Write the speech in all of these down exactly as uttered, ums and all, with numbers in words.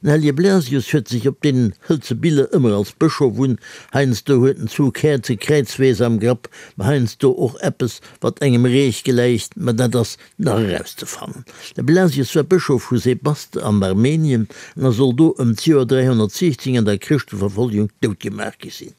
Den Hellege Blasius huet sech op deenen hëlze Biller ëmmer als Bëschof un. Heiansdo huet en zwou Käerze kräizwees am Grapp, ma heiansdo och eppes, wat engem Reech gläicht, ma dat ass nach erauszefannen. De Blasius war Bëschof vu Sebaste an Armenien an a soll do ëm d'Joer dräihonnertsiechzéng an der Chrëschteverfolgung doutgemaach gi sinn.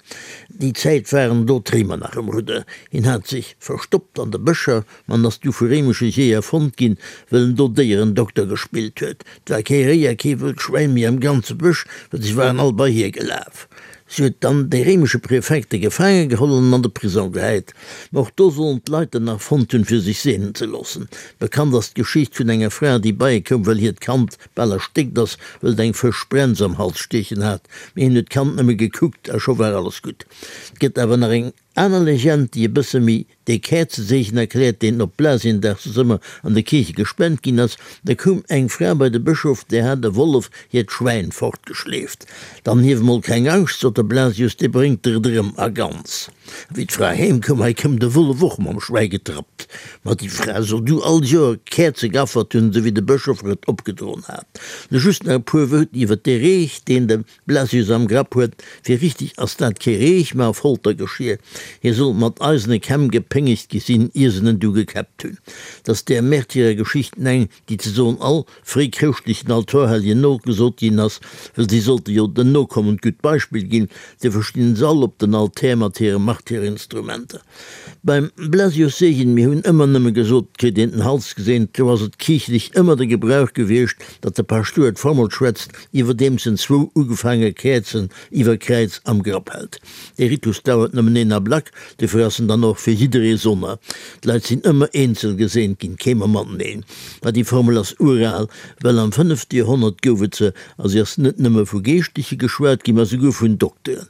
Déi Zäit waren do d'Réimer nach um Rudder. Hien hat sech verstoppt an de Bëscher, ma en ass du vu réimesche Jeeër fonnt ginn, wëll en do Déierendokter gespillt huet. 't war kee Réi a kee wëllt Schwäin méi am ganze Bësch, well si waren all bei hie gelaf. Si huet dann dee réimesche Präfekt gefaange geholl an en an de Prisong gehäit. Ma och do sollen d'Leit en nach fonnt hunn, fir sech seenen ze loossen. Bekannt ass d'Geschicht vun enger Fra, déi bei e koum, well hiert Kand bal erstéckt ass, wëll et eng Fëschsprenz am Hals stiechen hat. Mee hien huet d'Kand nëmme gekuckt a scho war alles gutt. 't gëtt awer nach eng aner Legend, déi e bësse méi dee Käerzeseegen erkläert, deen op Blasiendag soss ëmmer an de Kierche gespent ginn ass. Da koum eng Fra bei de Bëschof, där hat e Wollef hiert Schwäin fortgeschleeft. Dann hief emol keng Angscht, sot de Blasius, dee bréngt der et erëm a ganz. A wéi d'Fra heem koum, hei koum de Wollef och mam Schwäi getrappt. Ma déi Fra soll du all Joer Käerze geaffert hunn, esou wéi de Bëschof et opgedroen hat. Lo just nach e puer Wuert iwwer dee Reech, deen de Blasius am Grapp huet. Fir richtig ass dat kee Reech, ma e Foltergeschier. Hie soll mat eisene Kämm gepéngegt gi sinn, ier se en du gekäppt hunn. 't ass där Märtyrergeschichten eng, déi ze soen all fréichrëschtlechen Altorhelljen nogesot ginn ass, well si sollte jo den Nokommen d'gutt Beispill ginn. Duerfir stinn se all op den Altär mat hire Martyrerinstrumenter. Beim Blasius Seegen, mir hunn ëmmer nëmme gesot, 't kritt een den Hals geseent, do ass et kierchlech ëmmer de Gebrauch gewiescht, datt de Paschtouer d'Formel schwätzt, iwwerdeems en zwou ugefaange Käerzen iwwer Kräiz am Grapp hält. Dee Ritus dauert nëmmen een Ablack, dofir ass en dann och fir jidderee sonner. D'Leit sinn ëmmer eenzel geseent ginn, kee mer mateneen. Ma déi Formel ass ural, well am fënnefte Joerhonnert gouf et se, a si ass net nëmme vu Geeschtleche geschwat ginn, ma souguer vun Dokteren.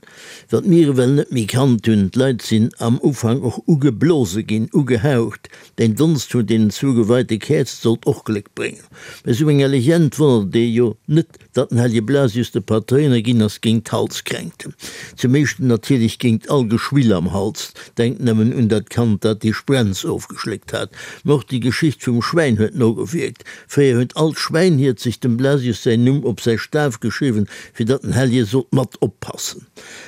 Wat mir ewell net méi kannt hunn, d'Leit sinn am Ufank och ugeblose ginn, ugehaucht. Den Donst vun deenen zwou geweite Käerze sollt och Gléck bréngen. Bei sou enger Legend wonnert et ee jo net, datt den Hellege Blasius de Patréiner ginn ass géint d'Halskränkten. Zum éischten natierlech géint all Geschwill am Hals, denkt nëmmen un dat Kand, dat déi Sprenz ofgeschléckt hat. Mä och déi Geschicht vum Schwäin huet nogewierkt. Fréier huet all Schwäinhiert sech dem Blasius säin Numm op säi Staf geschriwwen, fir datt den Hellje sollt mat oppassen.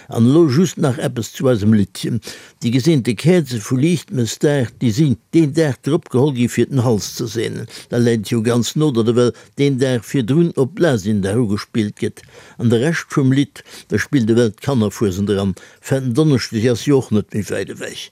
An elo just nach eppes zu eisem Liddchen. Déi geseente Käerze vu Liichtmëssdag, déi sinn deen Dag drop geholl gi fir den Hals ze seenen. Da läit et jo ganz no, datt ewell deen Dag virdrun op Blasiendag ugespillt gëtt. An de Rescht vum Lidd, da spillt ewell d'Kannerfuesent eran. Fetten Donneschdeg ass jo och net méi wäit ewech.